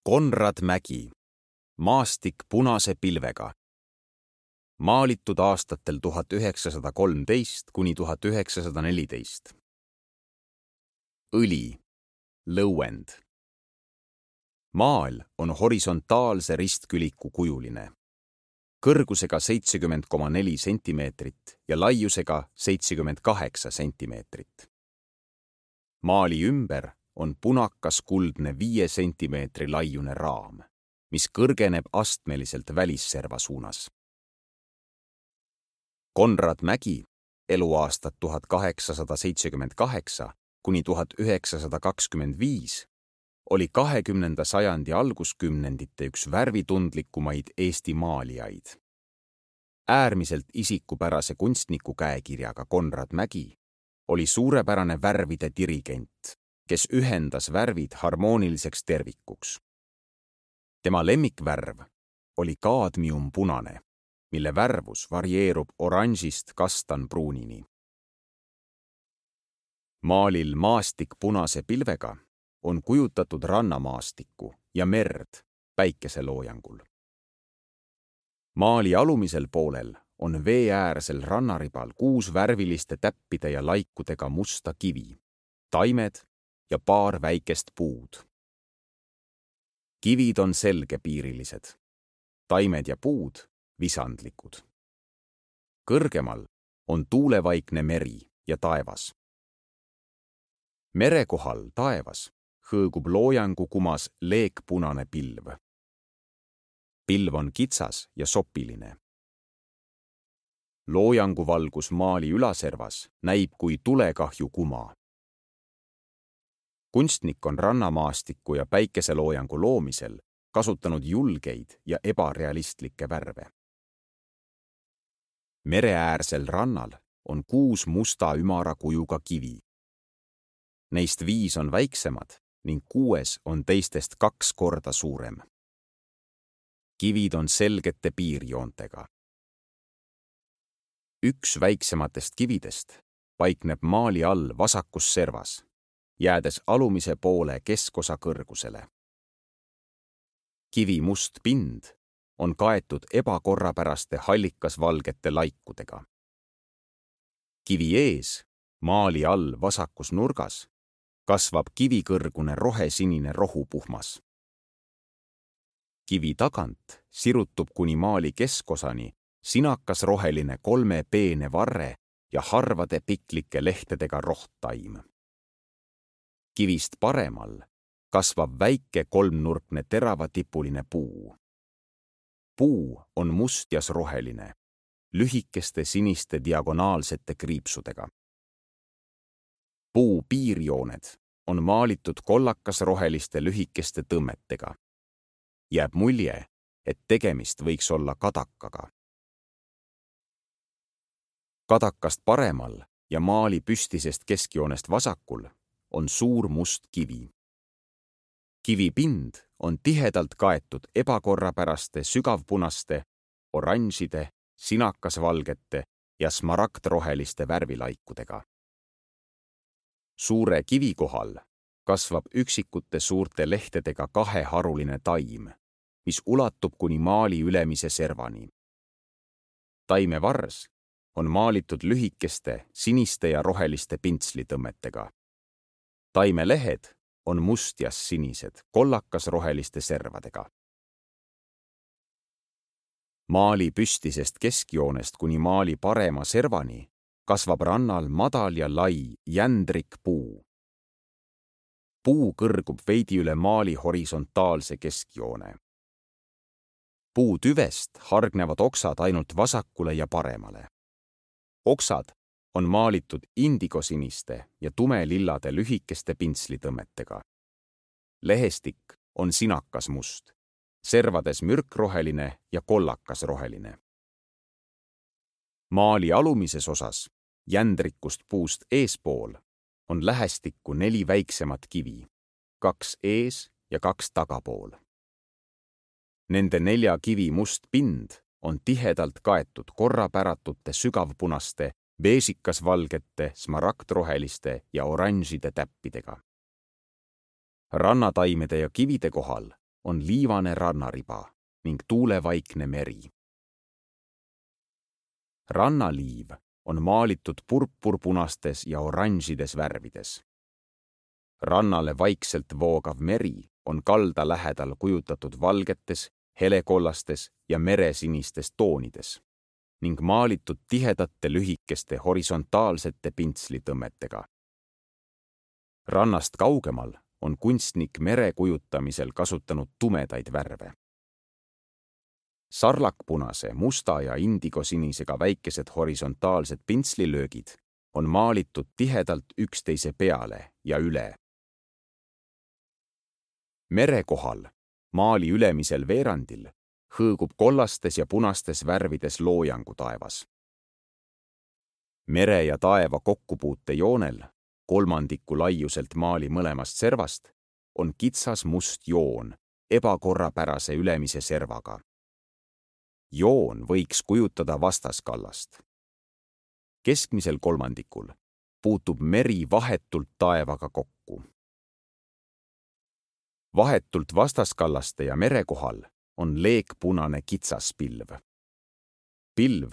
Konrad Mägi, maastik punase pilvega. Maalitud aastatel 1913 kuni 1914. Õli, lõuend. Maal on horisontaalse ristküliku kujuline, kõrgusega 70,4 sentimeetrit ja laiusega 78 sentimeetrit. Maali ümber on punakas kuldne 5 sentimeetri laiune raam, mis kõrgeneb astmeliselt välisserva suunas. Konrad Mägi, eluaastad 1878 kuni 1925, oli 20. sajandi alguskümnendite üks värvitundlikumaid Eesti maalijaid. Äärmiselt isikupärase kunstniku käekirjaga Konrad Mägi oli suurepärane värvide dirigent, kes ühendas värvid harmooniliseks tervikuks. Tema lemmikvärv oli kaadmiumpunane, mille värvus varieerub oranžist kastanpruunini. Maalil maastik punase pilvega on kujutatud rannamaastikku ja merd päikeseloojangul. Maali alumisel poolel on veeäärsel rannaribal 6 värviliste täppide ja laikudega musta kivi, taimed ja paar väikest puud. Kivid on selgepiirilised, taimed ja puud visandlikud. Kõrgemal on tuulevaikne meri ja taevas. Mere kohal taevas hõõgub loojangu kumas leekpunane pilv. Pilv on kitsas ja sopiline. Loojangu valgus maali ülaservas näib kui tulekahju kuma. Kunstnik on rannamaastiku ja päikeseloojangu loomisel kasutanud julgeid ja ebarealistlikke värve. Mereäärsel rannal on 6 musta ümara kujuga kivi. Neist 5 on väiksemad ning 6 on teistest 2 korda suurem. Kivid on selgete piirjoontega. Üks väiksematest kividest paikneb maali all vasakus servas, jäädes alumise poole keskosa kõrgusele. Kivi must pind on kaetud ebakorrapäraste hallikasvalgete laikudega. Kivi ees, maali all vasakus nurgas, kasvab kivikõrgune rohesinine rohupuhmas. Kivi tagant sirutub kuni maali keskosani sinakas roheline 3 peene varre ja harvade piklike lehtedega rohttaim. Kivist paremal kasvab väike 3-nurkne teravatipuline puu. Puu on mustjas roheline, lühikeste siniste diagonaalsete kriipsudega. Puu piirjooned on maalitud kollakas-roheliste lühikeste tõmmetega. Jääb mulje, et tegemist võiks olla kadakaga. Kadakast paremal ja maali püstisest keskjoonest vasakul on suur must kivi. Kivi pind on tihedalt kaetud ebakorrapäraste sügavpunaste, oranžide, sinakasvalgete ja smaragdroheliste värvilaikudega. Suure kivi kohal kasvab üksikute suurte lehtedega 2-haruline taim, mis ulatub kuni maali ülemise servani. Taime vars on maalitud lühikeste, siniste ja roheliste pintslitõmmetega. Taime lehed on mustjas sinised, kollakas-roheliste servadega. Maali püstisest keskjoonest kuni maali parema servani kasvab rannal madal ja lai jändrikpuu. Puu kõrgub veidi üle maali horisontaalse keskjoone. Puu tüvest hargnevad oksad ainult vasakule ja paremale. Oksad on maalitud indigosiniste ja tumelillade lühikeste pintslitõmmetega. Lehestik on sinakas must, servades mürkroheline ja kollakasroheline. Maali alumises osas, jändrikust puust eespool, on lähestikku 4 väiksemat kivi, 2 ees ja 2 tagapool. Nende 4 kivi must pind on tihedalt kaetud korrapäratute sügavpunaste, beesikasvalgete, smaragdroheliste ja oranžide täppidega. Rannataimede ja kivide kohal on liivane rannariba ning tuulevaikne meri. Rannaliiv on maalitud purpurpunastes ja oranžides värvides. Rannale vaikselt voogav meri on kalda lähedal kujutatud valgetes, helekollastes ja meresinistes toonides ning maalitud tihedate lühikeste horisontaalsete pintslitõmmetega. Rannast kaugemal on kunstnik mere kujutamisel kasutanud tumedaid värve. Sarlakpunase, musta ja indigosinisega väikesed horisontaalsed pintslilöögid on maalitud tihedalt üksteise peale ja üle. Mere kohal, maali ülemisel veerandil, hõõgub kollastes ja punastes värvides loojangu taevas. Mere ja taeva kokkupuute joonel, kolmandiku laiuselt maali mõlemast servast, on kitsas must joon ebakorrapärase ülemise servaga. Joon võiks kujutada vastaskallast. Keskmisel kolmandikul puutub meri vahetult taevaga kokku. Vahetult vastaskallaste ja mere kohal on leekpunane kitsas pilv. Pilv,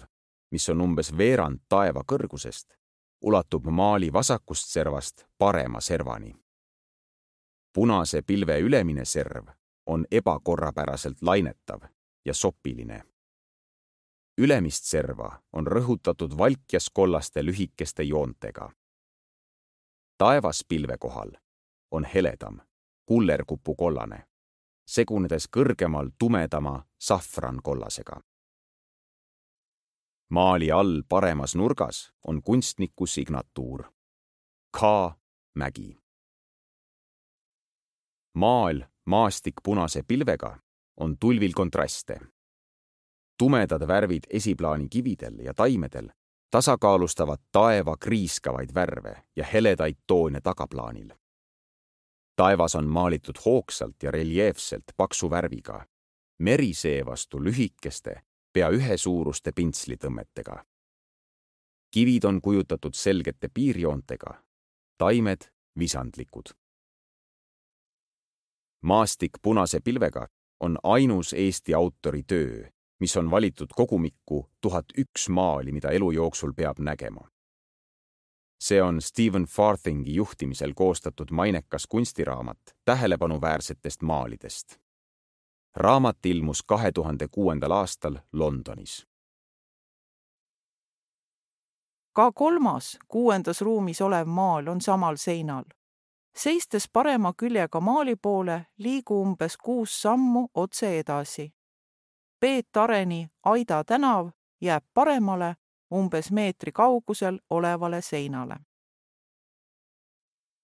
mis on umbes veerand taeva kõrgusest, ulatub maali vasakust servast parema servani. Punase pilve ülemine serv on ebakorrapäraselt lainetav ja sopiline. Ülemist serva on rõhutatud valkjas kollaste lühikeste joontega. Taevas pilve kohal on heledam, kullerkupukollane, segunedes kõrgemal tumedama safrankollasega. Maali all paremas nurgas on kunstniku signatuur K. Mägi. Maal maastik punase pilvega on tulvil kontraste. Tumedad värvid esiplaani kividel ja taimedel tasakaalustavad taeva kriiskavaid värve ja heledaid toone tagaplaanil. Taevas on maalitud hoogsalt ja reljeefselt paksu värviga, meri seevastu lühikeste, pea ühesuuruste pintslitõmmetega. Kivid on kujutatud selgete piirjoontega, taimed visandlikud. Maastik punase pilvega on ainus Eesti autori töö, mis on valitud kogumikku 1001 maali, mida elu jooksul peab nägema. See on Stephen Farthingi juhtimisel koostatud mainekas kunstiraamat tähelepanuväärsetest maalidest. Raamat ilmus 2006. aastal Londonis. Ka kolmas 6. ruumis olev maal on samal seinal. Seistes parema küljega maali poole, liigu umbes 6 sammu otse edasi. Peet Areni Aida tänav jääb paremale umbes meetri kaugusel olevale seinale.